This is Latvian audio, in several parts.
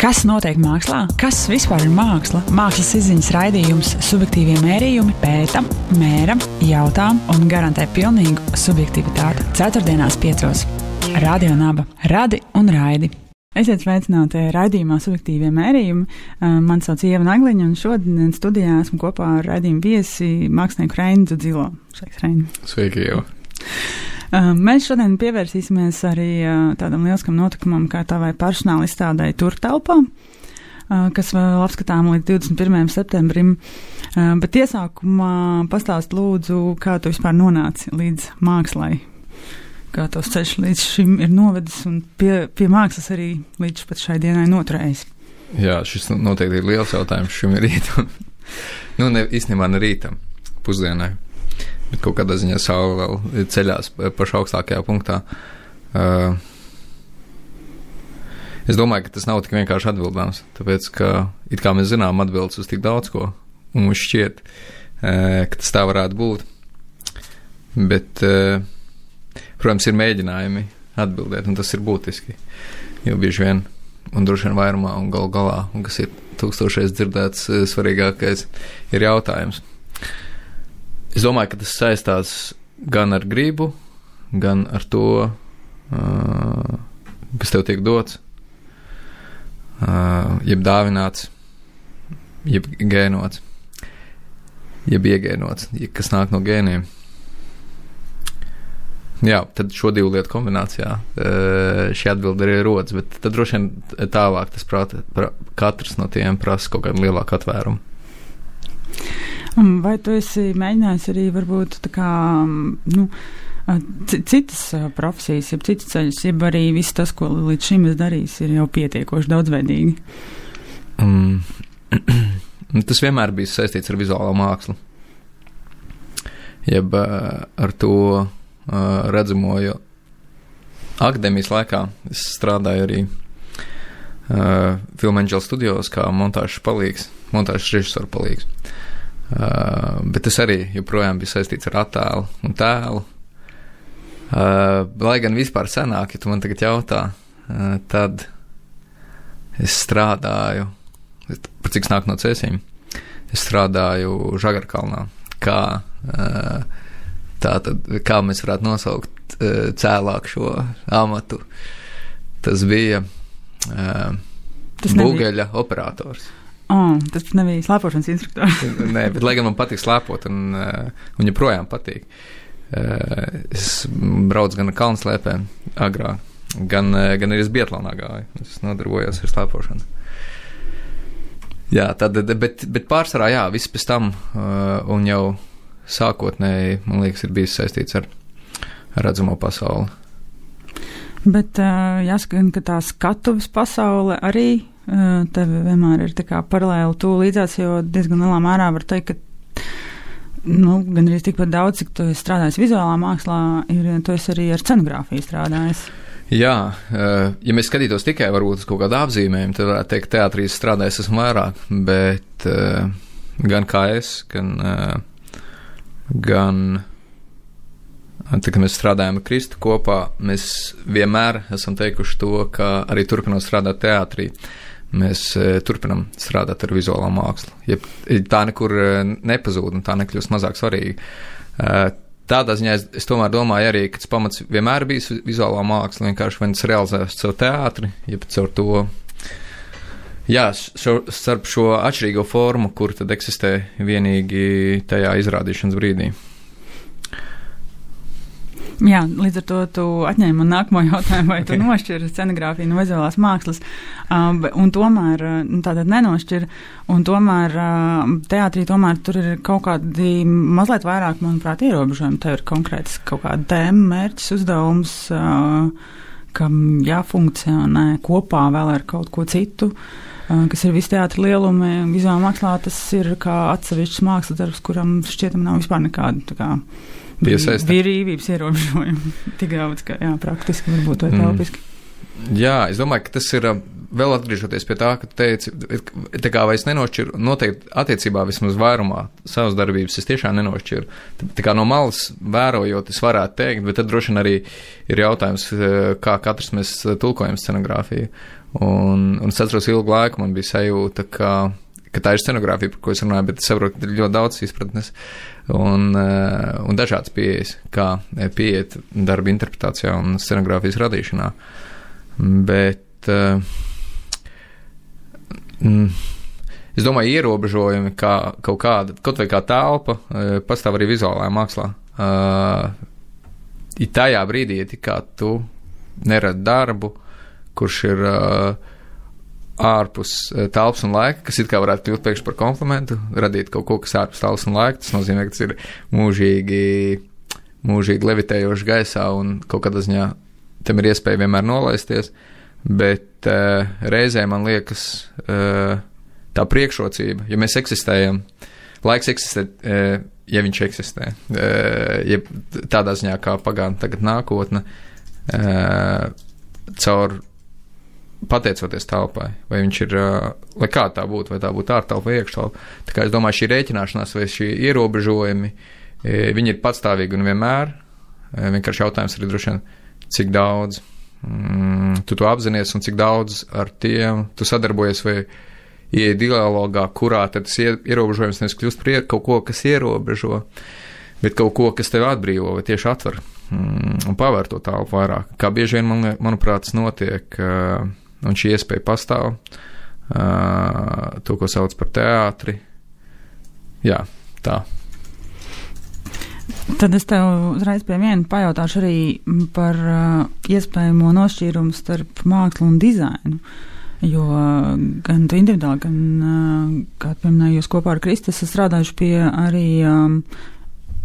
Kas notiek mākslā? Kas vispār ir māksla? Mākslas izziņas raidījums subjektīvie mērījumi pēta, mēra, jautā un garantē pilnīgu subjektivitāti. Ceturtdienās 5. Radio Naba. Radi un raidi. Esiet sveicināti raidījumā subjektīvie mērījumi. Man sauc Ieva Nagliņa un šodien studijā esmu kopā ar raidījumu viesi mākslinieku Reini Dzudzilo. Sveiks, Reini. Sveiki, Ieva. Mēs šodien pievērsīsimies arī tādam lieliskam notikumam, kā tavai personāla izstādai Turtelpā, kas vēl apskatām līdz 21. septembrim. Bet iesākumā pastāst lūdzu, kā tu vispār nonāci līdz mākslai, kā tavs ceļš līdz šim ir novedis un pie mākslas arī līdz pat šai dienai noturējis. Jā, šis noteikti ir liels jautājums šim rītam. Īstenībā ne rītam, pusdienai. Bet kaut kādā ziņā saule vēl ceļās pašā augstākajā punktā. Es domāju, ka tas nav tik vienkārši atbildāms, tāpēc, ka it kā mēs zinām atbildes uz tik daudz ko, un mums šķiet, ka tas tā varētu būt. Bet, protams, ir mēģinājumi atbildēt, un tas ir būtiski, jo bieži vien, un droši vien vairumā, un galā, un kas ir tūkstošreiz dzirdēts, svarīgākais ir jautājums. Es domāju, ka tas saistās gan ar gribu, gan ar to, kas tev tiek dots, jeb dāvināts, jeb gēnots, jeb iegēnots, kas nāk no gēniem. Jā, tad šo divu lietu kombinācijā šī atbilde arī rodas, bet tad droši vien tālāk tas katrs no tiem prasa kaut kādu lielāku atvērumu. Vai tu esi mēģinājis arī varbūt tā kā, citas profesijas, jeb citas ceļus, jeb arī viss tas, ko līdz šim es darījis, ir jau pietiekoši daudzveidīgi? Tas vienmēr bijis saistīts ar vizuālo mākslu. Jeb ar to redzamo, jo akadēmijas laikā es strādāju arī Film Angel studijos kā montāžas palīgs, montāžas režisoru palīgs. Bet tas arī joprojām bija saistīts ar attēlu un tēlu. Lai gan vispār senāk, ja tu man tagad jautā, tad es strādāju, par cik nāk no Cēsīm, es strādāju Žagarkalnā, kā mēs varētu nosaukt cēlāk šo amatu. Tas bija Bugeļa operators. Tas nebija slēpošanas instruktors. Nē, bet lai gan man patīk slēpot un joprojām patīk. Es braucu gan ar kalnslēpēm agrāk, gan arī es Biatlonā gāju. Es nodarbojos ar slēpošanu. Jā, bet pārsvarā, jā, viss pēc tam un jau sākotnēji, man liekas, ir bijis saistīts ar redzamo pasauli. Bet jāsaka, ka tā skatuves pasaule arī tev vienmēr ir tā kā paralēli tu līdzās, jo diezgan lielā mērā var teikt, ka gan arī tikpat daudz, cik tu esi strādājis vizuālā mākslā, tu esi arī ar scenogrāfiju strādājis. Jā, ja mēs skatītos tikai varbūt uz kaut kādu apzīmējumu, tad varētu teikt, teātrī strādājis esmu vairāk, bet gan kā es, gan tad, kad mēs strādājam ar Kristu kopā, mēs vienmēr esam teikuši to, ka arī turpinot strādāt teātrī, mēs turpinam strādāt ar vizuālo mākslu. Ja tā nekur nepazūd un tā nekļūst mazāk svarīga. Tādā ziņā es tomēr domāju arī, ka tas pamats vienmēr bijis vizuālā māksla, vienkārši vai tas realizēs caur teātri, ja caur to, jā, starp šo atšķirīgo formu, kur tad eksistē vienīgi tajā izrādīšanas brīdī. Jā, līdz ar to tu atņēmi man nākamo jautājumu, vai tu nošķiri scenogrāfiju no vizuālās mākslas, un tomēr, tātad nenošķiri, un tomēr teātrī tomēr tur ir kaut kādi mazliet vairāk, manuprāt, ierobežojumi. Tev ir konkrēts kaut kāda tēma, mērķis, uzdevums, kam jāfunkcionē kopā vēl ar kaut ko citu, kas ir visi teātri lielumi. Vizuālā mākslā tas ir kā atsevišķs mākslas darbs, kuram šķietam nav vispār nekāda tā kā brīvības ierobežojumi. Tik daudz, ka jā, praktiski varbūt vai telpiski. Jā, es domāju, ka tas ir vēl atgriežoties pie tā, ka tu teici, tā kā vai es nenošķiru, noteikti attiecībā vismaz vairumā savas darbības es tiešām nenošķiru. Tā kā no malas vērojot, es varētu teikt, bet tad droši vien arī ir jautājums, kā katrs mēs tulkojam scenogrāfiju. Un es atceros ilgu laiku, man bija sajūta, ka tā ir scenogrāfija, par ko es runāju, bet es saprotu, ka ir ļoti daudz izpratnes un dažādas pieejas, kā pieiet darba interpretācijā un scenogrāfijas radīšanā. Bet es domāju, ierobežojumi kā kaut kāda, kaut vai kā telpa, pastāv arī vizuālajā mākslā. Ir tajā brīdī, ja tikā tu nerad darbu, kurš ir ārpus telpas un laika, kas it kā varētu kļūt pēkšņi par komplimentu, radīt kaut ko, kas ārpus telpas un laika, tas nozīmē, ka tas ir mūžīgi levitējoši gaisā un kaut kādā ziņā tam ir iespēja vienmēr nolaisties, bet reizē man liekas tā priekšrocība, ja mēs eksistējam, laiks eksistē, ja viņš eksistē, ja tādā ziņā kā pagātne, tagad nākotne, caur pateicoties telpai, vai viņš ir, lai kā tā būtu, vai tā būtu ārtelpa vai iekštelpa. Tā kā es domāju, šī rēķināšanās vai šī ierobežojumi, viņi ir patstāvīgi un vienmēr. Vienkārši jautājums arī droši vien, cik daudz tu to apzinies un cik daudz ar tiem tu sadarbojies vai ieej dialogā, kurā tad tas ierobežojums nevis kļūst par kaut ko, kas ierobežo, bet kaut ko, kas tev atbrīvo vai tieši atver un pavēr to telpu vairāk. Kā bieži vien, manuprāt, tas notiek, un šī iespēja pastāv, to, ko sauc par teātri. Jā, tā. Tad es tev uzreiz pie viena pajautāšu arī par iespējamo nošķīrumu starp mākslu un dizainu, jo gan tu individuāli, gan, kā pieminēju, jūs kopā ar Kristu esat strādājuši pie arī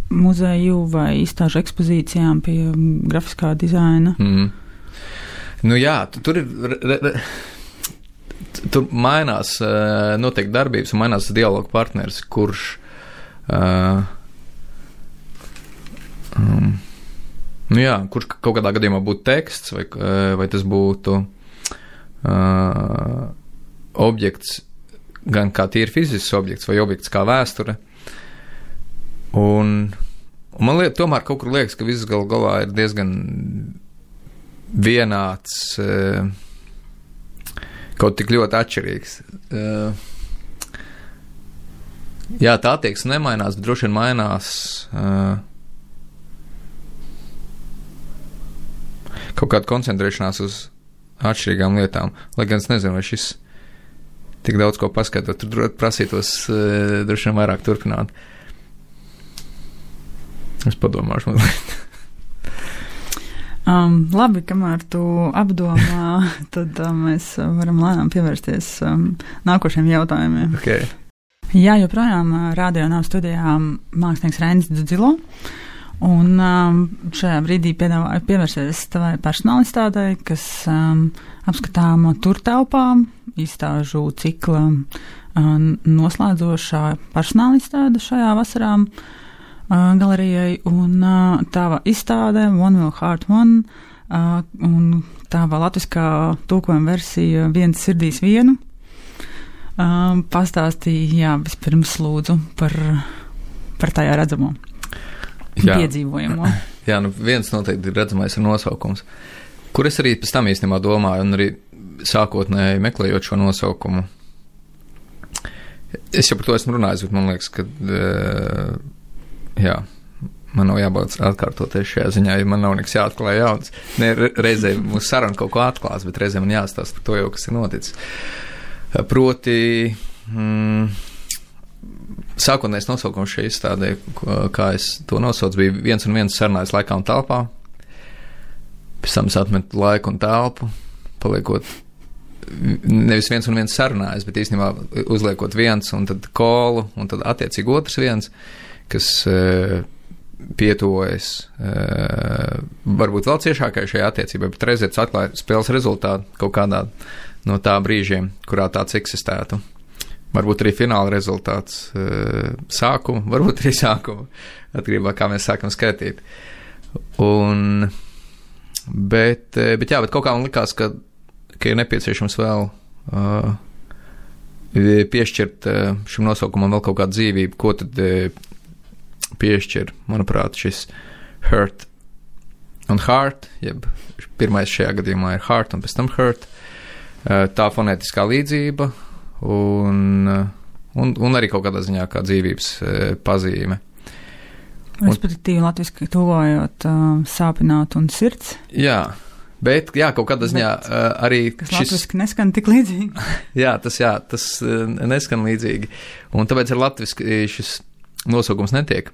muzeju vai izstāžu ekspozīcijām pie grafiskā dizaina. Nu jā, tur ir, tur mainās noteikti darbības un mainās dialogu partneris, kurš nu jā, kurš kaut kādā gadījumā būtu teksts vai tas būtu objekts, gan kā tīri fizisks objekts vai objekts kā vēsture. Un man tomēr kaut kur liekas, ka viss galā ir diezgan vienāds, kaut tik ļoti atšķirīgs. Jā, tā attieksme nemainās, bet droši vien mainās kaut kāda koncentrēšanās uz atšķirīgām lietām. Lai gan es nezinu, vai šis tik daudz ko paskatot, tur prasītos droši vien vairāk turpināt. Es padomāšu mazliet. Labi, kamēr tu apdomā, tad mēs varam lēnām pievērsties nākošiem jautājumiem. Okay. Jā, joprojām Radio Nav studijā mākslinieks Reinis Dzudzilo, un šajā brīdī piedāvāju pievērsties tavai personālistādei, kas apskatāmo turtelpām, izstāžu cikla noslēdzošā personālistāde šajā vasarā galerijai, un tava izstāde One Will Heart One, un tava latviskā tulkojuma versija Viens sirdīs vienu. Pastāstīja, vispirms lūdzu par tajā redzamo piedzīvojamo. Jā, nu viens noteikti ir redzamais ar nosaukums, kur es arī pēc tam īstenībā domāju, un arī sākotnēji meklējot šo nosaukumu. Es jau par to esmu runājis, bet man liekas, ka jā, man nav jābūt atkārtoties šajā ziņā, ja man nav nekas jāatklāj jauns. Ne, reizē mūsu saruna kaut ko atklās, bet reizē man jāstāst par to jau, kas ir noticis. Proti, sākotnējais nosaukums šai izstādē, kā es to nosaucu, bija Viens un viens sarunājas laikā un telpā. Pēc tam es atmetu laiku un telpu, paliekot nevis viens un viens sarunājas, bet īstenībā uzliekot viens un tad kolu un tad attiecīgi otrs viens, kas pietuvojas varbūt vēl ciešākai šajā attiecībā, bet reizē tas atklāja spēles rezultātu kaut kādā no tā brīžiem, kurā tāds eksistētu. Varbūt arī fināla rezultāts sākuma, varbūt arī sākuma, atkarībā kā mēs sākam skaitīt. Bet kaut kā man likās, ka ir nepieciešams vēl piešķirt šim nosaukumam vēl kaut kādu dzīvību, ko tad piešķir, manuprāt, šis hurt un heart, jeb pirmais šajā gadījumā ir heart un pēc tam hurt, tā fonētiskā līdzība un arī kaut kādā ziņā kā dzīvības pazīme. Respektīvi latviski tuvojot sāpināt un sirds. Jā. Bet, kaut kādā ziņā arī kas latviski neskan tik līdzīgi. tas neskan līdzīgi. Un tāpēc ar latviski šis nosaukums netiek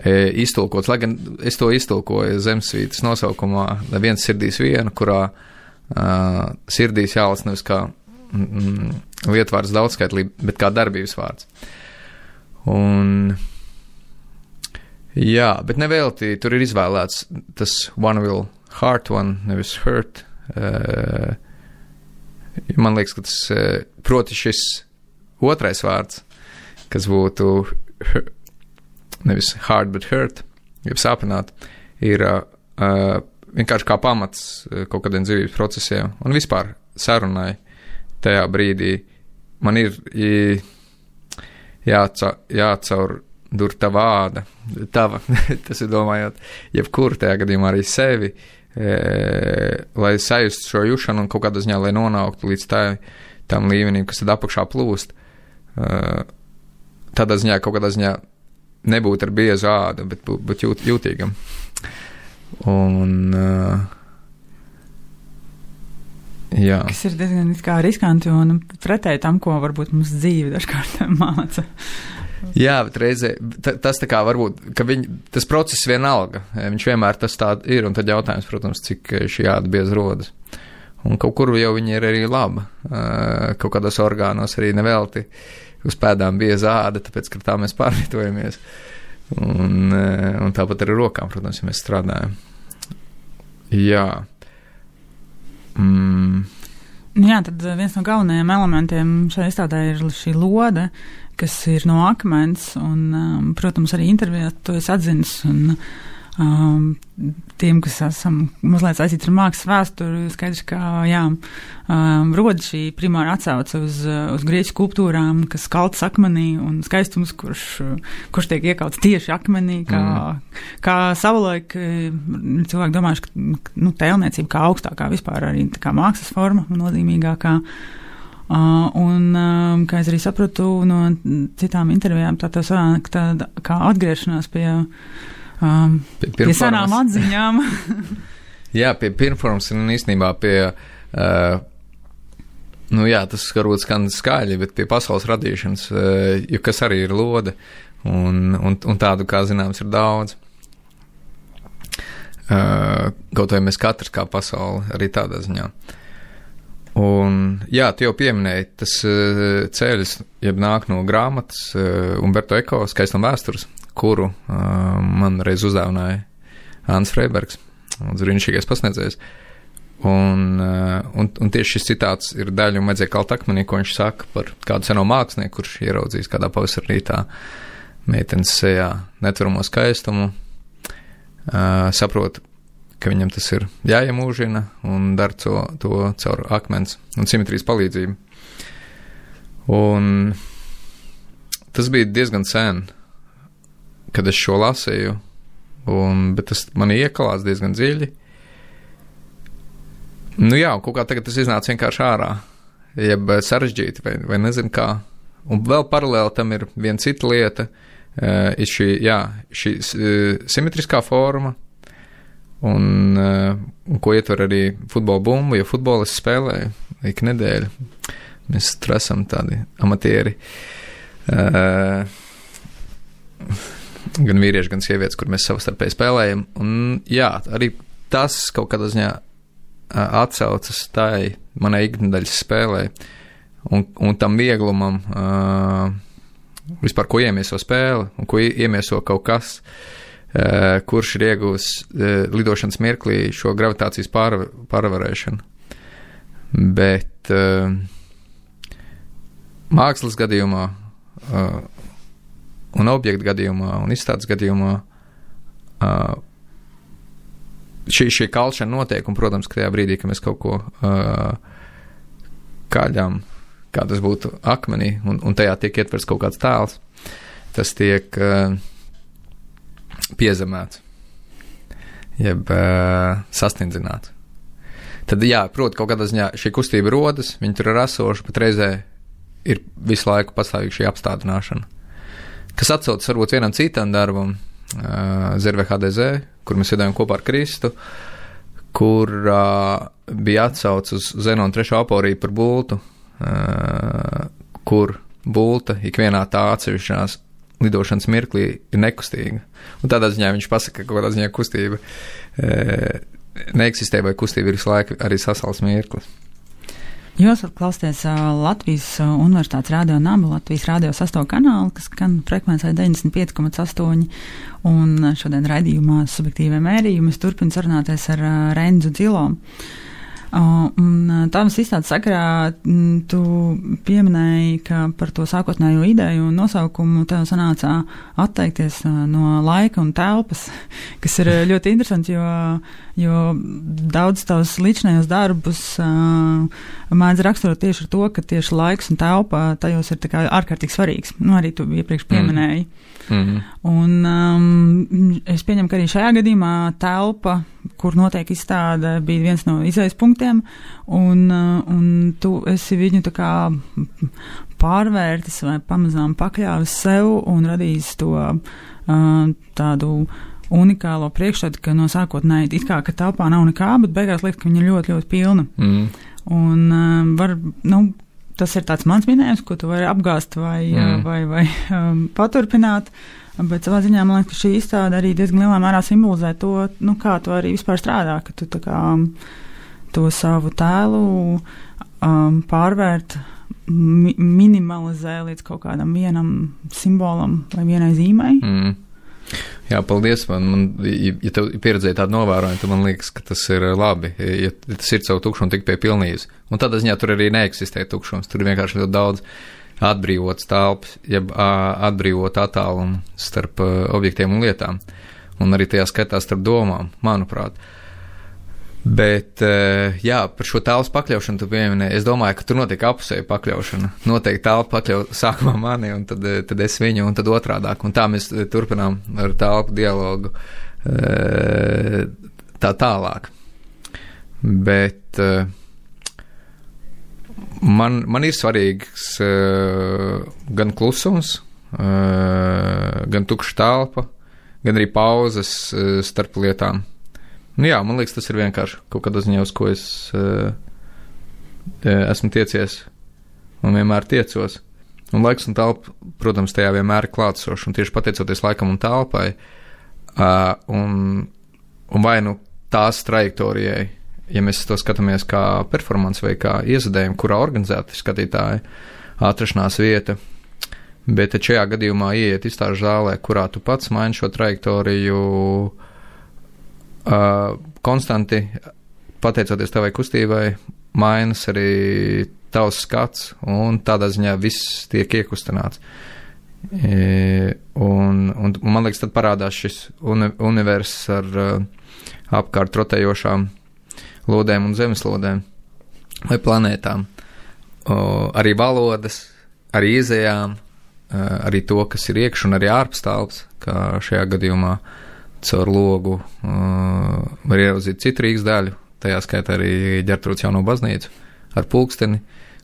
iztulkots. Lai gan es to iztulkoju Zemesvītas nosaukumā, viens sirdīs vienu, kurā sirdīs jālas nevis kā lietvārds daudzskaitlī, bet kā darbības vārds. Un bet nevelti tur ir izvēlēts tas one will heart one, nevis hurt. Man liekas, ka tas, proti šis otrais vārds, kas būtu nevis hard, but hurt, jeb sāpināt, ir vienkārši kā pamats kaut kādiem dzīvības procesiem un vispār sarunai tajā brīdī. Man ir jācaur dur tā vāda, tava, tas ir domājot, jebkuru tajā gadījumā arī sevi, lai sajustu šo jušanu un kaut kādā ziņā, lai nonāktu līdz tam līmenim, kas tad apakšā plūst. Tādā ziņā, kaut kādā ziņā nebūt ar biezu ādu, bet būt jūtīgam. Un, kas ir diezgan riskanti un pretēji tam, ko varbūt mums dzīve dažkārt māca. Bet reizē tas tā kā varbūt, ka tas process vienalga, viņš vienmēr tas tā ir, un tad jautājums, protams, cik šī āda bieza rodas. Un kaut kur jau viņa ir arī laba, kaut kādos orgānos arī nevelti uz pēdām bieza āda, tāpēc, ka tā mēs pārvietojamies. Un tāpat arī rokām, protams, ja mēs strādājam. Tad viens no galvenajiem elementiem šajā izstādē ir šī lode, kas ir no akmens, un, protams, arī intervijā to es atzinis, un tiem, kas esam mazliet saistīti ar mākslas vēsturi, skaidrs, ka, rod šī primāra atsauce uz grieķu skulptūrām, kas kaltas akmenī, un skaistums, kurš tiek iekauts tieši akmenī, kā savulaik cilvēki domājuši, ka, tēlniecība kā augstākā vispār arī tā kā mākslas forma nozīmīgākā. Un, kā es arī sapratu no citām intervijām, tā sanāk tāda kā atgriešanās pie senām atziņām. Pie pirmformas un īstenībā pie, tas varbūt skan skaļi, bet pie pasaules radīšanas, jo kas arī ir lode, un tādu, kā zināms, ir daudz. Kaut vai mēs katrs kā pasauli, arī tādā ziņā. Un, tu jau pieminēji, tas ceļš, jeb nāk no grāmatas Umberto Eko Skaistuma vēstures, kuru man reiz uzdāvināja Ants Freibergs, brīnišķīgais pasniedzējs. Un tieši šis citāts ir daļa un vajadzēja kalt akmenī, ko viņš saka par kādu seno mākslinieku, kurš ieraudzījis kādā pavasarī rītā meitenes sejā netveramo skaistumu, saprot, ka viņam tas ir jāiemūžina un dara to caur akmens un simetrijas palīdzību. Un tas bija diezgan sen, kad es šo lasīju, bet tas mani iekalās diezgan dziļi. Kaut kā tagad tas iznāca vienkārši ārā, jeb sarežģīti vai nezinu kā. Un vēl paralēli tam ir viena cita lieta, ir šī simetriskā forma, un ko ietver arī futbola bumbu, jo futbolu es spēlēju ik nedēļu. Mēs tur esam tādi amatieri. Gan vīrieši, gan sievietes, kur mēs savstarpēji spēlējam. Un arī tas kaut kādā ziņā atsaucas tai manai ikdienas spēlē un tam vieglumam, vispār ko iemieso spēle un ko iemieso kaut kas, kurš ir iegūs lidošanas mirklī šo gravitācijas pārvarēšanu. Bet mākslas gadījumā un objektu gadījumā un izstādes gadījumā šī kalšana notiek, un, protams, ka tajā brīdī, ka mēs kaut ko kaļam, kā tas būtu akmenī, un tajā tiek ietverts kaut kāds tēls, tas tiek piezemēts, jeb sastindzināts. Tad, jā, proti, kaut kādā ziņā šī kustība rodas, viņi tur ir esoši, bet reizē ir visu laiku pastāvīgi šī apstādināšana. Kas atsaucas varbūt vienam citam darbam, Zirve HDZ, kur mēs iedējām kopā ar Kristu, kur bija atsauc uz Zenona 3. aporiju par bultu, kur bulta ikvienā tā atsevišķās lidošanas mirklī ir nekustīga. Un tādā ziņā viņš pasaka, ka kaut kādā ziņā kustība neeksistē, vai kustība ir visu laiku arī sasals mirklis. Jūs varat klausīties Latvijas Universitātes radio Naba, Latvijas radio 6. kanālu, kas skan frekvencē 95,8, un šodien raidījumā Subjektīvie mērījumi mēs turpinām sarunāties ar Renzu Dzilo. Un Tāmas izstādes sakarā tu pieminēji, ka par to sākotnējo ideju un nosaukumu tev sanācā atteikties no laika un telpas, kas ir ļoti interesanti, jo daudz tavs līdzinājos darbus mēdz raksturot tieši ar to, ka tieši laiks un telpa tajos ir tā kā ārkārtīgi svarīgs. Nu, arī tu iepriekš pieminēji. Un es pieņemu, ka arī šajā gadījumā telpa, kur notiek izstāde, bija viens no izējas punktiem, un tu esi viņu tā kā pārvērtis vai pamazām pakļāvis sev un radījis to tādu unikālo priekšstatu, ka no sākotnēji it kā, ka telpā nav nekā, bet beigās liekas, ka viņa ir ļoti, ļoti pilna. Un tas ir tāds mans minējums, ko tu vari apgāzt vai paturpināt, bet savā ziņā man liekas, ka šī izstāde arī diezgan lielā mērā simbolizē to, kā tu arī vispār strādā, ka tu tā kā to savu tēlu pārvērt, minimalizē līdz kaut kādam vienam simbolam vai vienai zīmai. Jā, paldies. Ja tev pieredzēja tādu novērojumu, tad man liekas, ka tas ir labi, ja tas ir savu tukšumu tik pie pilnības. Un tādā ziņā tur arī neeksistē tukšums. Tur ir vienkārši ļoti daudz atbrīvotas telpas, jeb atbrīvot attālumu starp objektiem un lietām. Un arī tajā skaitā starp domām, manuprāt. Bet, jā, par šo telpas pakļaušanu tu pieminēji. Es domāju, ka tur notiek apusēja pakļaušana. Noteikti telpa pakļauj sākumā mani, un tad es viņu, un tad otrādāk. Un tā mēs turpinām ar telpu dialogu tā tālāk. Bet man ir svarīgs gan klusums, gan tukša telpa, gan arī pauzes starp lietām. Jā, man liekas, tas ir vienkārši kaut kādā ziņā, uz ko es esmu tiecies un vienmēr tiecos. Un laiks un telpa, protams, tajā vienmēr ir klātsoši, un tieši pateicoties laikam un telpai, un vai nu tās trajektorijai, ja mēs to skatāmies kā performance vai kā iezadējumu, kurā organizēta skatītāja atrašanās vieta, bet šajā gadījumā ieiet izstāžu zālē, kurā tu pats maini šo trajektoriju, konstanti, pateicoties tavai kustībai, mainas arī tavs skats, un tādā ziņā viss tiek iekustināts. Un man liekas, tad parādās šis universs ar apkārt rotējošām lodēm un zemeslodēm vai planētām. Arī valodas, arī izējām, arī to, kas ir iekš un arī ārpus telpas, kā šajā gadījumā caur logu var ieraudzīt citu Rīgas daļu, tajā skaitā arī Ģertrūdes jauno baznīcu ar pulksteni,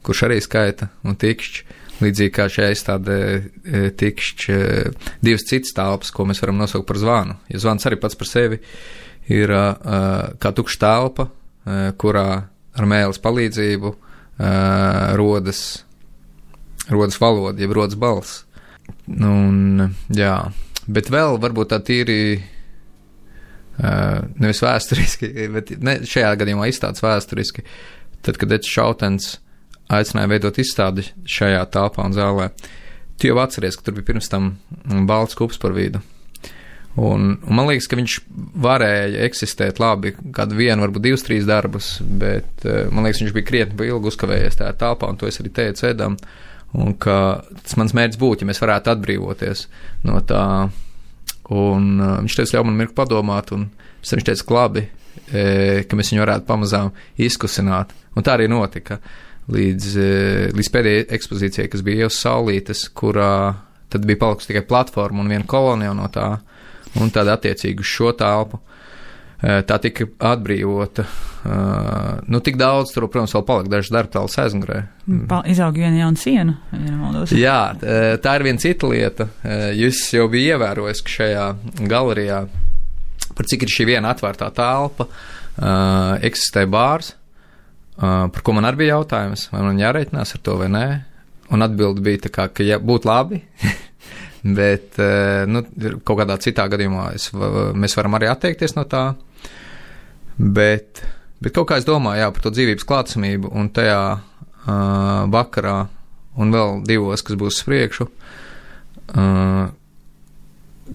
kurš arī skaita, un tikšķi, līdzīgi kā šajā izstādē tikšķi divas citas telpas, ko mēs varam nosaukt par zvanu. Ja zvans arī pats par sevi ir kā tukša telpa, kurā ar mēles palīdzību rodas valoda, jeb rodas balss. Jā, bet vēl varbūt tā tīri nevis vēsturiski, bet šajā gadījumā izstādes vēsturiski, tad, kad Eds Šautens aicināja veidot izstādi šajā telpā un zālē, tu jau atceries, ka tur bija pirms tam balts kups par vidu. Un man liekas, ka viņš varēja eksistēt labi, kādu vienu, varbūt 2-3 darbus, bet man liekas, viņš bija krietni ilgi uzkavējies tajā telpā, un to es arī teicu Edam, un ka tas mans mērķis būtu, ja mēs varētu atbrīvoties no tā. Un viņš teica, ļauj man mirkli padomāt, un viņš teica, labi, ka mēs viņu varētu pamazām izkusināt. Un tā arī notika. līdz pēdējai ekspozīcijai, kas bija uz Saulītes, kurā tad bija palikusi tikai platforma un viena kolonija no tā, un tad attiecīgi uz šo telpu. Tā tika atbrīvota. Tik daudz, tur, protams, vēl palika dažas darbtālas aizmugurē. Izauga viena jauna siena, ja nemaldos. Jā, tā ir viena cita lieta. Jūs jau bija ievērojis, ka šajā galerijā, par cik ir šī viena atvērtā telpa, eksistē bārs, par ko man arī bija jautājums, vai man jāreitinās ar to vai nē. Un atbilde bija tā kā, ka ja būtu labi, bet kaut kādā citā gadījumā mēs varam arī atteikties no tā. Bet kaut kā es domāju, par to dzīvības klātsamību un tajā vakarā un vēl 2, kas būs priekšu,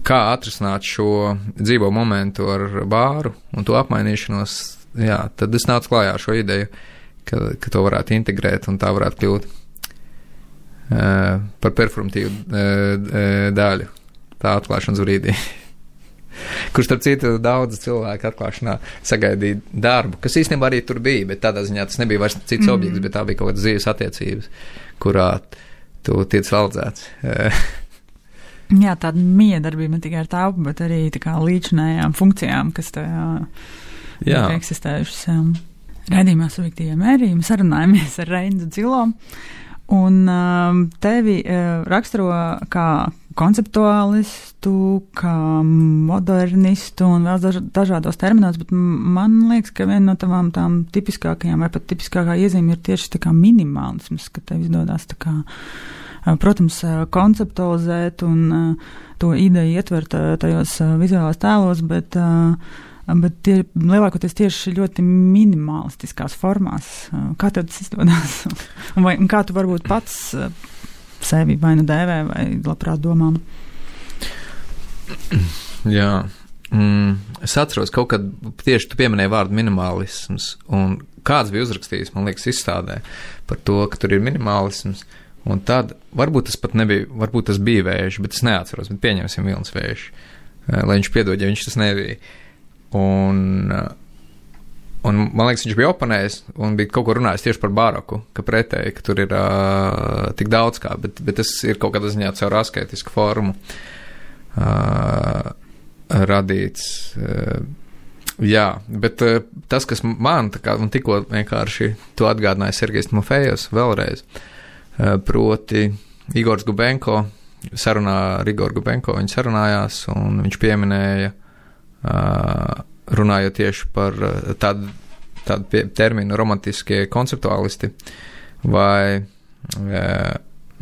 kā atrisināt šo dzīvo momentu ar bāru un to apmainīšanos, tad es nācu klājā ar šo ideju, ka to varētu integrēt un tā varētu kļūt par performatīvu daļu tā atklāšanas brīdī. Kurš, starp citu, daudz cilvēku atklāšanā sagaidīja darbu, kas īstenībā arī tur bija, bet tādā ziņā tas nebija vairs cits objekts, bet tā bija kaut kādas dzīves attiecības, kurā tu tiec valdzēts. Jā, tāda miedarbība ne tikai ar telpu, bet arī tā kā līdzinājām funkcijām, kas tajā eksistējušas. Raidījumā Subjektīvie mērījumi sarunājamies ar Reinu Dzilo, un tevi raksturo kā konceptuālistu, kā modernistu un vēl dažādos terminos, bet man liekas, ka viena no tavām tām tipiskākajām vai pat tipiskākā iezīme ir tieši tā kā minimālisms, ka tev izdodas tā kā, protams, konceptualizēt un to ideju ietvert tajos vizuālās tēlos, bet tie lielākoties tieši ļoti minimalistiskās formās. Kā tev tas izdodas? Un kā tu varbūt pats sevi vai nu dēvē vai labprāt domām? Jā. Es atceros kaut kad tieši tu pieminēji vārdu minimālisms, un kāds bija uzrakstījis, man liekas, izstādē par to, ka tur ir minimālisms, un tad varbūt tas pat nebija, varbūt tas bija Vējš, bet es neatceros, bet pieņemsim Vilnis Vējš, lai viņš piedod, ja viņš tas nebija. Un man liekas, viņš bija oponējis un bija kaut ko runājis tieši par baroku, ka pretēji, ka tur ir tik daudz kā, bet tas ir kaut kādā ziņā caur asketisku formu radīts. Jā, bet tas, kas man tā kā, un tikko vienkārši to atgādināja Sergejs Timofejevs vēlreiz, proti Igors Gubenko, sarunā ar Igoru Gubenko, viņi sarunājās un viņš pieminēja runājot tieši par tādu terminu romantiskie konceptuālisti vai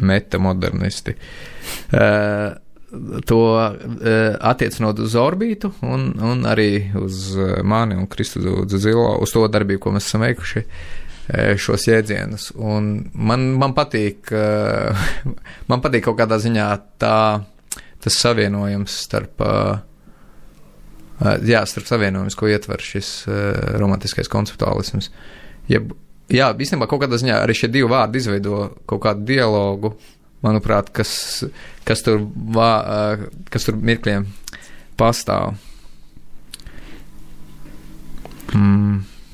metamodernisti. To attiecinot uz Orbītu un arī uz mani un Kristu Dzilo, uz to darbību, ko mēs esam veikuši, šos jēdzienus. Un man patīk kaut kādā ziņā tas savienojums starp savienojums, ko ietver šis romantiskais konceptuālisms. Jā, īstenībā kaut kādā ziņā arī šie divi vārdi izveido kaut kādu dialogu, manuprāt, kas tur mirkļiem pastāv.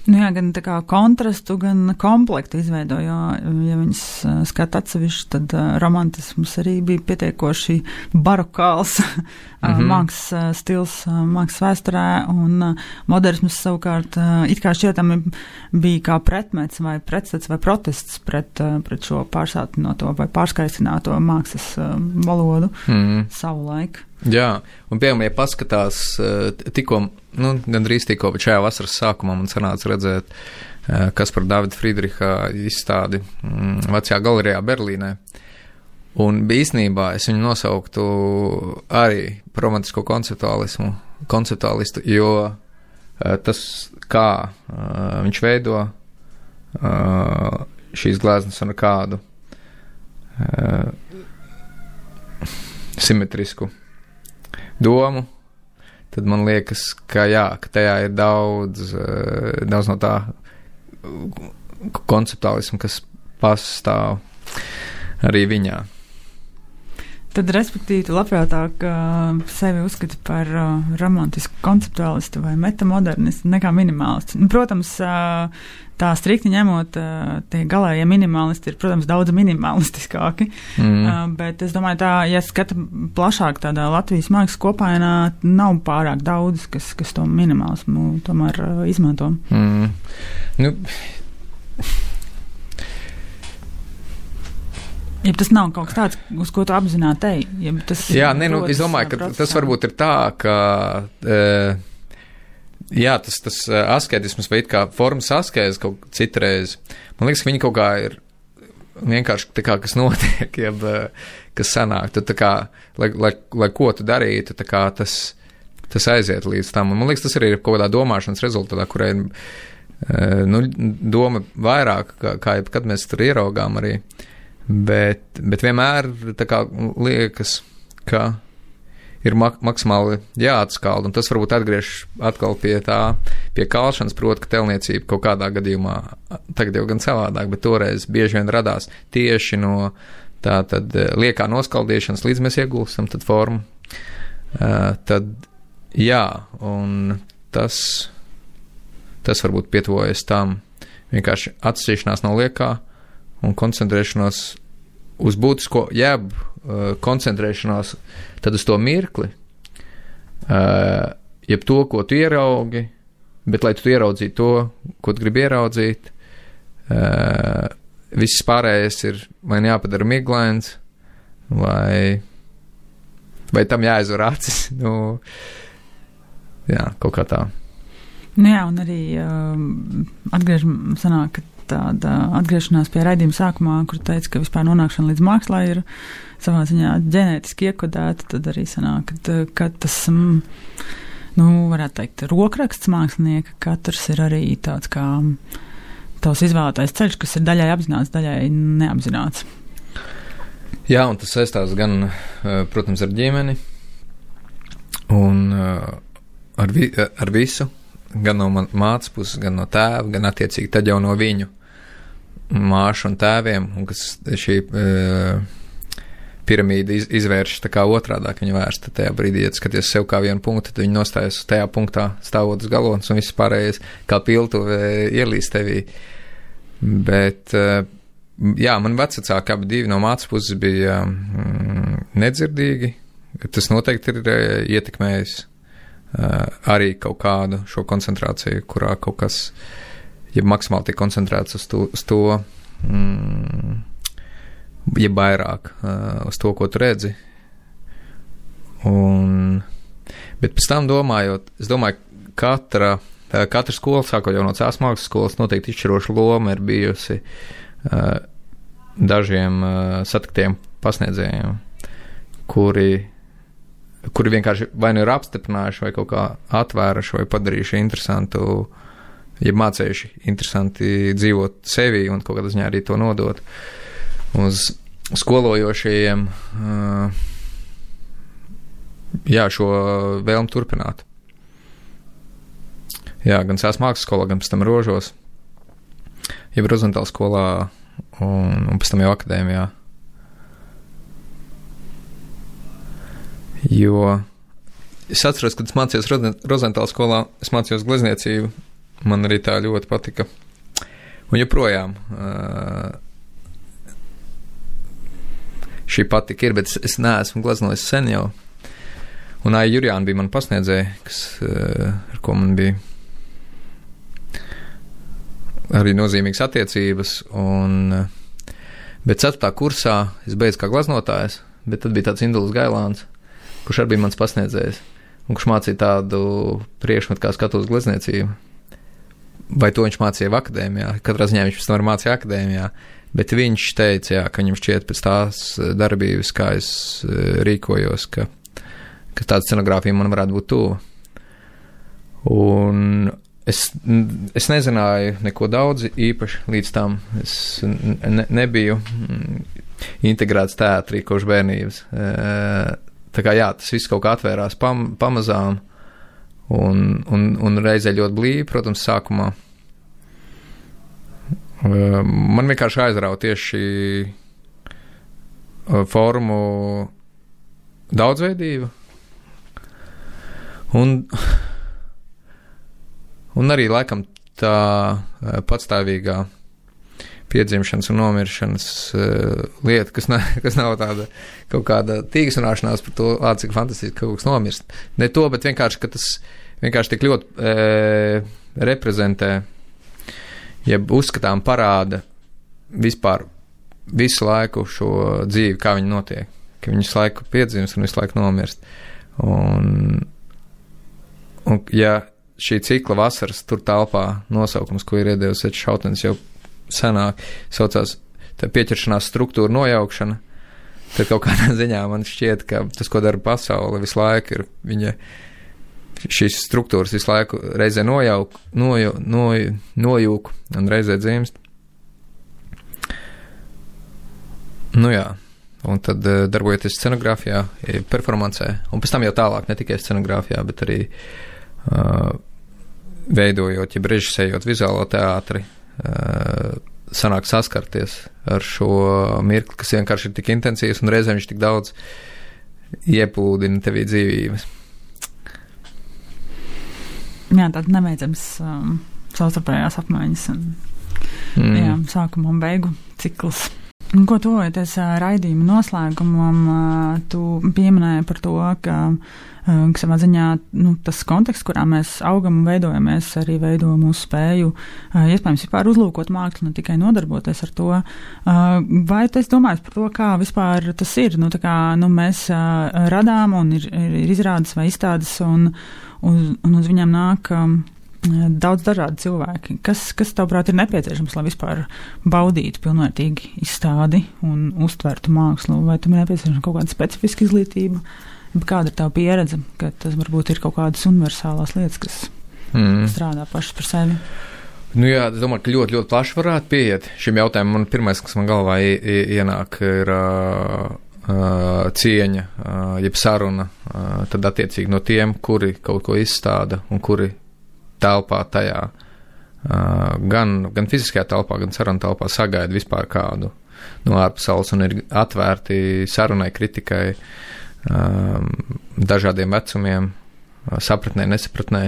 Jā, gan tā kā kontrastu, gan komplektu izveido, jo, ja viņas skata atsevišķi, tad romantisms arī bija pietiekoši barokāls mākslas stils mākslas vēsturē, un modernisms savukārt it kā šķietami bija kā pretmets vai pretstats vai protests pret šo pārsātināto vai pārskaistināto mākslas valodu savulaik. Jā, un piemēram, ja paskatās tikko, gandrīz tikko, bet šajā vasaras sākumā man sanāca redzēt Kaspara Davida Friedriha izstādi Vecajā galerijā Berlīnē. Un īstenībā es viņu nosauktu arī par romantisko konceptuālistu, jo tas, kā viņš veido šīs gleznas un kādu simetrisku domu, tad man liekas, ka tajā ir daudz no tā konceptuālismu, kas pastāv arī viņā. Tad, respektīvi, tu labprātāk sevi uzskati par romantisku konceptuālistu vai metamodernistu nekā minimālistu. Protams, tā strikti ņemot, tie galējie minimālisti ir, protams, daudz minimalistiskāki, bet es domāju, tā, ja skata plašāk tādā Latvijas mākslas kopainā, nav pārāk daudz, kas to minimālismu tomēr izmanto. Nu, ja tas nav kaut kas tāds, uz ko tu apzināti ej. Ja tas es domāju, ka tas varbūt ir tā, ka tas asketisms vai it kā formas askēzes kaut citreiz. Man liekas, ka viņi kaut kā ir vienkārši tā kā, kas notiek, jeb kas sanāk. Tu tā kā, lai ko tu darītu, tā kā tas aiziet līdz tam. Un man liekas, tas arī ir kaut kādā domāšanas rezultātā, kurai doma vairāk, kā kad mēs tur ieraugām arī. Bet vienmēr tā kā liekas, ka ir maksimāli jāatskalda, un tas varbūt atgriež atkal pie kalšanas, proti, ka telniecība kaut kādā gadījumā, tagad jau gan savādāk, bet toreiz bieži vien radās tieši no tā tad liekā noskaldīšanas, līdz mēs iegulstam tad formu. Tad, un tas varbūt pietuvojas tam vienkārši atšķiršanās no liekā, un koncentrēšanos uz būtisko, jeb koncentrēšanās tad uz to mirkli, jeb to, ko tu ieraugi, bet lai tu ieraudzītu to, ko tu gribi ieraudzīt, viss pārējais ir vai jāpadara miglains, vai tam jāaizver acis, kaut kā tā. Un arī sanāk, tāda atgriešanās pie raidījuma sākumā, kur teica, ka vispār nonākšana līdz mākslā ir savā ziņā ģenētiski iekodēta, tad arī sanāk, ka tas, varētu teikt, rokraksts mākslinieka, katrs ir arī tāds kā tavs izvēlētais ceļš, kas ir daļai apzināts, daļai neapzināts. Jā, un tas saistās gan, protams, ar ģimeni un ar visu, gan no mātes puses, gan no tēva, gan attiecīgi tad jau no viņu māšu un tēviem, un kas šī piramīda izvērš tā kā otrādāk viņa vērsta tajā brīdī, ja skaties sev kā vienu punktu, tad viņi nostājas tajā punktā stāvot uz galotnes, un viss pārējais kā piltuve ielīst tevī. Bet, man vecāki abi divi no mātes puses bija nedzirdīgi, tas noteikti ir ietekmējis arī kaut kādu šo koncentrāciju, kurā kaut kas, ja maksimāli tiek koncentrēts uz to, ja vairāk uz to, ko tu redzi. Bet pēc tam domājot, es domāju, katra skola, sākot jau no Cēlas mākslas skolas, noteikti izšķiroša loma ir bijusi dažiem satiktiem pasniedzējiem, kuri vienkārši vai nu ir apstiprinājuši, vai kaut kā atvēruši, vai padarījuši interesantu, ja mācējuši interesanti dzīvot sevi un kaut kādā ziņā arī to nodot uz skolojošajiem, šo vēlmu turpināt. Gan Cēlas mākslas skolā, gan pēc tam Rožos, jeb Rozentāla skolā un pēc tam jau akadēmijā. Jo es atceros, kad es mācījos Rozentāla skolā, es mācījos glezniecību, man arī tā ļoti patika. Un joprojām šī patika ir, bet es neesmu gleznojis sen jau. Un Aija Jurjāna bija man pasniedzēja, ar ko man bija arī nozīmīgas attiecības. Bet 4. kursā es beidzu kā gleznotājs, bet tad bija tāds Indulis Gailāns, kurš arī bija mans pasniedzējs, un kurš mācīja tādu priekšmetu kā skatos glezniecību. Vai to viņš mācīja akadēmijā? Katrā ziņā viņš pēc tam mācīja akadēmijā, bet viņš teica, ka viņam šķiet pēc tās darbības, kā es rīkojos, ka tāda scenogrāfija man varētu būt tuva. Un es nezināju neko daudz īpaši līdz tam. Es nebiju integrēts teātrī kopš bērnības. Tā kā tas viss kaut kā atvērās pamazām un reizē ļoti blīvi, protams, sākumā. Man vienkārši aizrauja tieši formu daudzveidība un arī laikam tā patstāvīgā piedzimšanas un nomiršanas lieta, kas nav tāda kaut kāda tīksnāšanās par to, cik fantastiski kaut kas nomirst. Ne to, bet vienkārši, ka tas vienkārši tik ļoti reprezentē, jeb uzskatām parāda vispār visu laiku šo dzīvi, kā viņa notiek, ka viņš visu laiku piedzimst un visu laiku nomirst. Un ja šī cikla vasaras tur telpā nosaukums, ko ir iedevis Ečs Šautens jau senāk, saucās tā pieķeršanās struktūra nojaukšana, tad kaut kādā ziņā man šķiet, ka tas, ko dara pasaule, visu laiku ir viņa šīs struktūras visu laiku reizē nojūk un reizē dzimst. Nu jā, un tad darbojoties scenogrāfijā, performancē, un pēc tam jau tālāk, ne tikai scenogrāfijā, bet arī veidojot, ja režisējot vizuālo teātri, sanāk saskarties ar šo mirkli, kas vienkārši ir tik intensīvs un reizēm viņš tik daudz ieplūdina tevī dzīvības. Jā, tāds nebeidzams savstarpējās apmaiņas un jā, sākuma un beigu cikls. Un ko tuvojoties raidījuma noslēgumam, tu pieminēji par to, ka savā ziņā tas konteksts, kurā mēs augam un veidojamies, arī veido mūsu spēju iespējams vispār uzlūkot mākslu, ne tikai nodarboties ar to. Vai tu esi domājis par to, kā vispār tas ir? Mēs radām un ir izrādes vai izstādes un uz viņām nāk daudz dažādi cilvēki. Kas tavuprāt ir nepieciešams, lai vispār baudītu pilnvērtīgi izstādi un uztvertu mākslu? Vai tam ir nepieciešama kaut kāda specifiska izglītība? Kāda ir tava pieredze, ka tas varbūt ir kaut kādas universālās lietas, kas strādā pašas par sevi? Nu jā, es domāju, ka ļoti, ļoti plaši varētu pieiet šim jautājumam. Man pirmais, kas man galvā ienāk, ir cieņa, jeb saruna, tad attiecīgi no tiem, kuri kaut ko izstāda un kuri telpā tajā, gan fiziskajā telpā, gan saruna telpā sagaida vispār kādu no ārpasaules un ir atvērti sarunai, kritikai, dažādiem vecumiem, sapratnē, nesapratnē.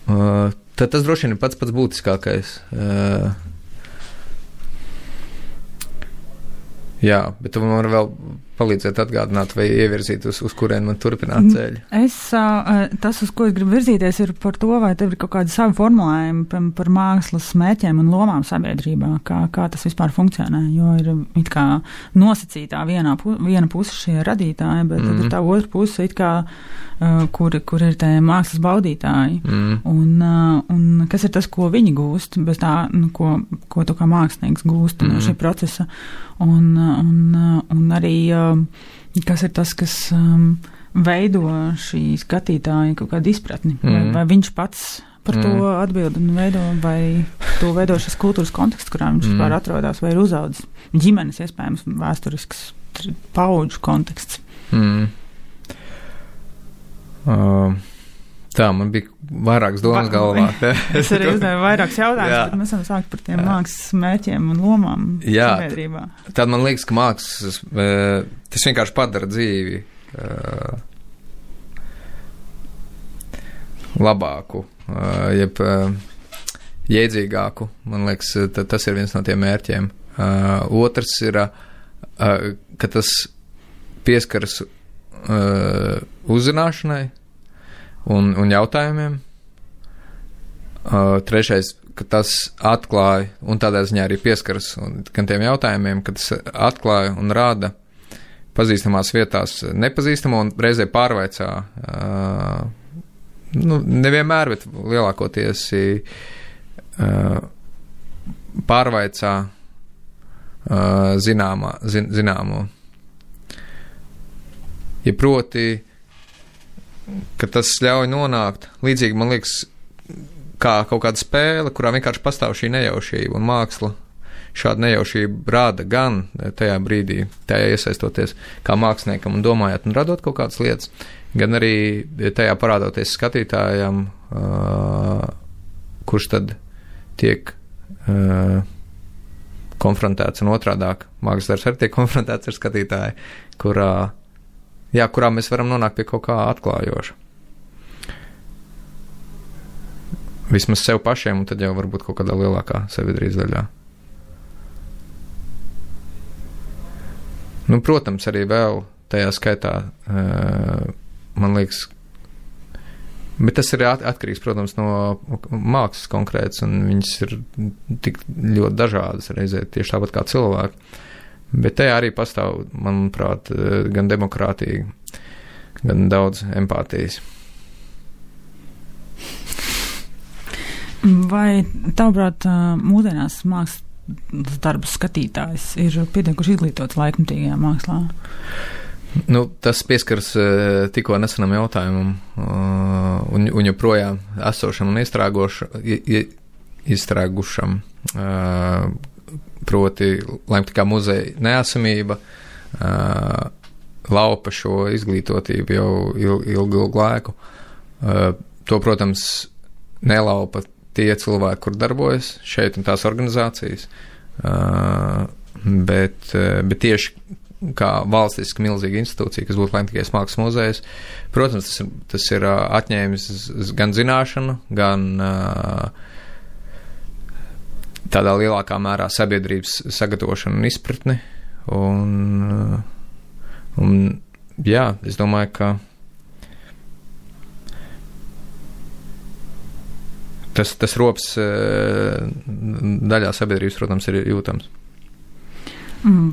Tad tas droši vien ir pats būtiskākais. Jā, bet tu man vēl palīdzēt atgādināt vai ievirzīt, uz kurien man turpināt ceļu. Tas, uz ko es gribu virzīties, ir par to, vai tev ir kaut kādi savi formulējumi par mākslas mērķiem un lomām sabiedrībā, kā tas vispār funkcionē, jo ir it kā nosacītā viena puse šie radītāji, bet tad ir tā otra puse it kā, kur ir tie mākslas baudītāji, un kas ir tas, ko viņi gūst, bez tā, ko tu kā mākslinieks gūst no šī procesa, un arī kas ir tas, kas veido šī skatītāja kaut kādu izpratni, vai viņš pats par to atbild un veido, vai to veido šis kultūras konteksts, kurā viņš vispār atrodas, vai ir uzaudzis ģimenes, iespējams, vēsturisks paudžu konteksts. Tā, man bija vairākas domas galvā. Es arī uzdevu vairākas jautājumus, bet mēs varam sākt par tiem mākslas mērķiem un lomām sabiedrībā. Tad man liekas, ka mākslas, tas vienkārši padara dzīvi labāku, jeb jēdzīgāku. Man liekas, tas ir viens no tiem mērķiem. Otrs ir, ka tas pieskaras uzzināšanai un jautājumiem. Trešais, ka tas atklāja un tādā ziņā arī pieskaras gan tiem jautājumiem, ka tas atklāja un rāda pazīstamās vietās nepazīstamo un reizē pārvaicā, nevienmēr, bet lielākoties pārvaicā zināmo. Ja proti, ka tas ļauj nonākt, līdzīgi man liekas, kā kaut kāda spēle, kurā vienkārši pastāv šī nejaušība un māksla šādu nejaušību rāda gan tajā brīdī, tajā iesaistoties kā māksliniekam un domājot un radot kaut kādas lietas, gan arī tajā parādoties skatītājam, kurš tad tiek konfrontēts un otrādāk. Mākslas darbs arī tiek konfrontēts ar skatītāju, kurā jā, kurā mēs varam nonākt pie kaut kā atklājoša. Vismaz sev pašiem, un tad jau varbūt kaut kādā lielākā sabiedrības daļā. Nu, protams, arī vēl tajā skaitā, man liekas, bet tas ir atkarīgs, protams, no mākslas konkrēts, un viņas ir tik ļoti dažādas reizē, tieši tāpat kā cilvēki. Bet tajā arī pastāv, manuprāt, gan demokrātija, gan daudz empātijas. Vai tavuprāt, mūsdienās mākslas darbu skatītājs ir pietiekuši izglītots laikmatīgajā mākslā? Nu, tas pieskars tikko nesenam jautājumam un joprojām esošam un izstrēgušam, proti laikmatīgā muzeja neesamība laupa šo izglītotību jau ilgu laiku. To, protams, nelaupa tie cilvēki, kur darbojas šeit un tās organizācijas, bet tieši kā valstiski milzīga institūcija, kas būtu laikmatīgais mākslas muzejs, protams, tas ir atņēmis gan zināšanu, gan tādā lielākā mērā sabiedrības sagatavošanu un izpratni, un jā, es domāju, ka tas rops daļā sabiedrības, protams, ir jūtams.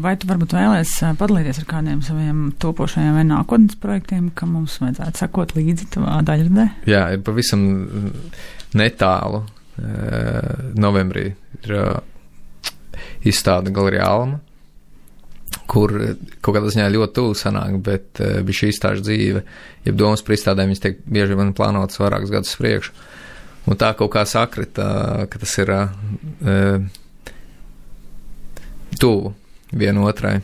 Vai tu varbūt vēlies padalīties ar kādiem saviem topošajiem vai nākotnes projektiem, kam mums vajadzētu sekot līdzi tavā daļradē? Jā, ir pavisam netālu. Novembrī ir izstāde Galerijā Alma, kur kaut kādā ziņā ļoti tuvu sanāk, bet bija šī izstāžu dzīve, ja domas par izstādēm, viņas tiek bieži vien plānotas vairākus gadus priekšu. Un tā kaut kā sakrita, ka tas ir tuvu vienotrai.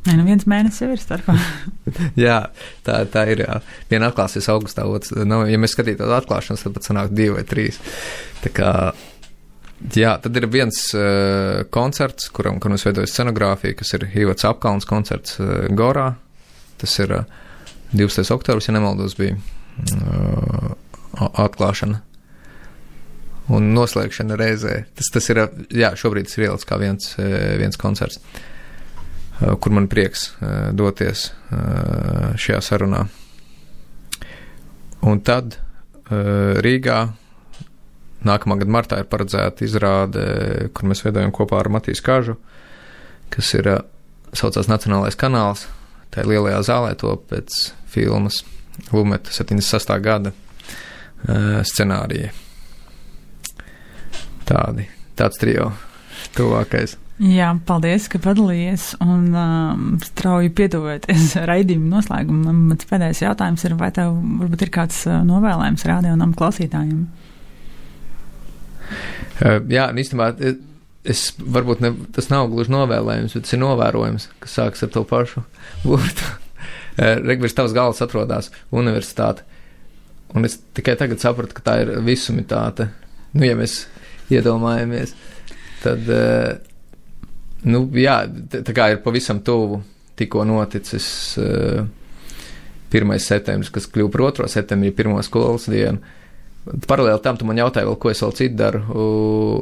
Nē, nu viens mēnesis jau ir starpā. Jā, tā ir, jā. Viena atklāsies augustā, ja mēs skatītos atklāšanas, tad pat sanāk 2 vai 3. Tā kā, jā, tad ir viens koncerts, kuram es veidoju scenogrāfiju, kas ir Ivots Apkalns koncerts Gorā. Tas ir 12. oktobris, ja nemaldos, bija atklāšana. Un noslēgšana reizē. Tas ir, jā, šobrīd tas ir ielicis kā viens koncerts, kur man prieks doties šajā sarunā. Un tad Rīgā nākamā gada martā ir paredzēta izrāde, kur mēs veidojam kopā ar Matīs Kažu, kas ir saucās Nacionālais kanāls. Tā ir lielajā zālē, to pēc filmas Lumeta 76. gada scenārija. Tāds trio tuvākais. Jā, paldies, ka padalījies un strauji pietuvoties raidījuma noslēgumam. Mans pēdējais jautājums ir, vai tev varbūt ir kāds novēlējums radio un klausītājiem? Jā, īstenībā varbūt tas nav gluži novēlējums, bet tas ir novērojums, kas sākas ar to pašu burtu. Virs tavas galvas atrodas universitāte. Un es tikai tagad sapratu, ka tā ir visumitāte. Nu, ja mēs iedomājamies, tad, nu, jā, tā kā ir pavisam tuvu tikko noticis 1. septembris, kas kļuva par 2. septembrī, 1. skolas dienu. Paralēli tam tu man jautāji vēl, ko es vēl citu daru,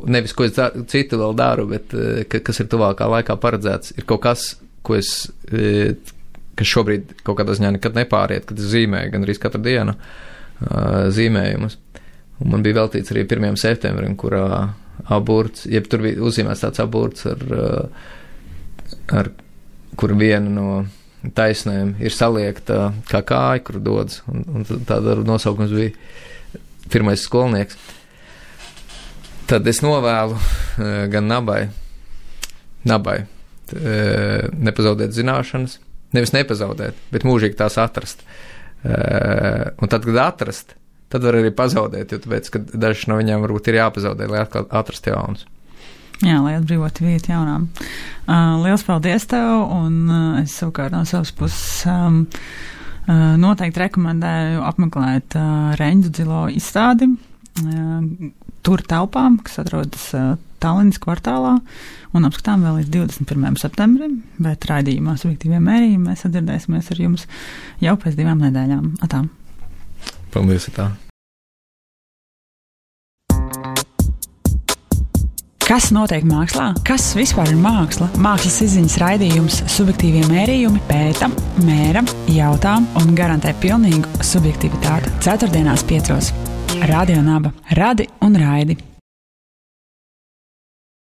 nevis, ko es citu vēl daru, bet kas ir tuvākā laikā paredzēts, ir kaut kas, kas šobrīd kaut kādā ziņā nekad nepāriet, kad es zīmēju gan arī katru dienu zīmējumus. Un man bija veltīts arī 1. septembrim, kurā aburts, jeb tur bija uzzīmēts tāds aburts, ar kur viena no taisnēm ir saliekta kā kāja, kur dodas, un tāda nosaukums bija 1. skolnieks. Tad es novēlu gan nabai nepazaudēt zināšanas, nevis nepazaudēt, bet mūžīgi tās atrast. Un tad, kad atrast, tad var arī pazaudēt, jo tāpēc, ka dažas no viņām varbūt ir jāpazaudē, lai atkal atrast jaunas. Jā, lai atbrīvot vietu jaunām. Liels paldies tev, un es savukārt no savas puses noteikti rekomendēju apmeklēt Reņģu Dzilo izstādi tur telpām, kas atrodas Tallinas kvartālā un apskatām vēl līdz 21. septembrim, bet raidījumā Subjektīvie mērījumi mēs sadzirdēsimies ar jums jau pēc 2 nedēļām. Atā! Paldies, atā! Kas notiek mākslā? Kas vispār ir māksla? Mākslas izziņas raidījums Subjektīvie mērījumi pēta, mēra, jautā un garantē pilnīgu subjektivitāti. 4.5. Radio Naba. Radi un raidi!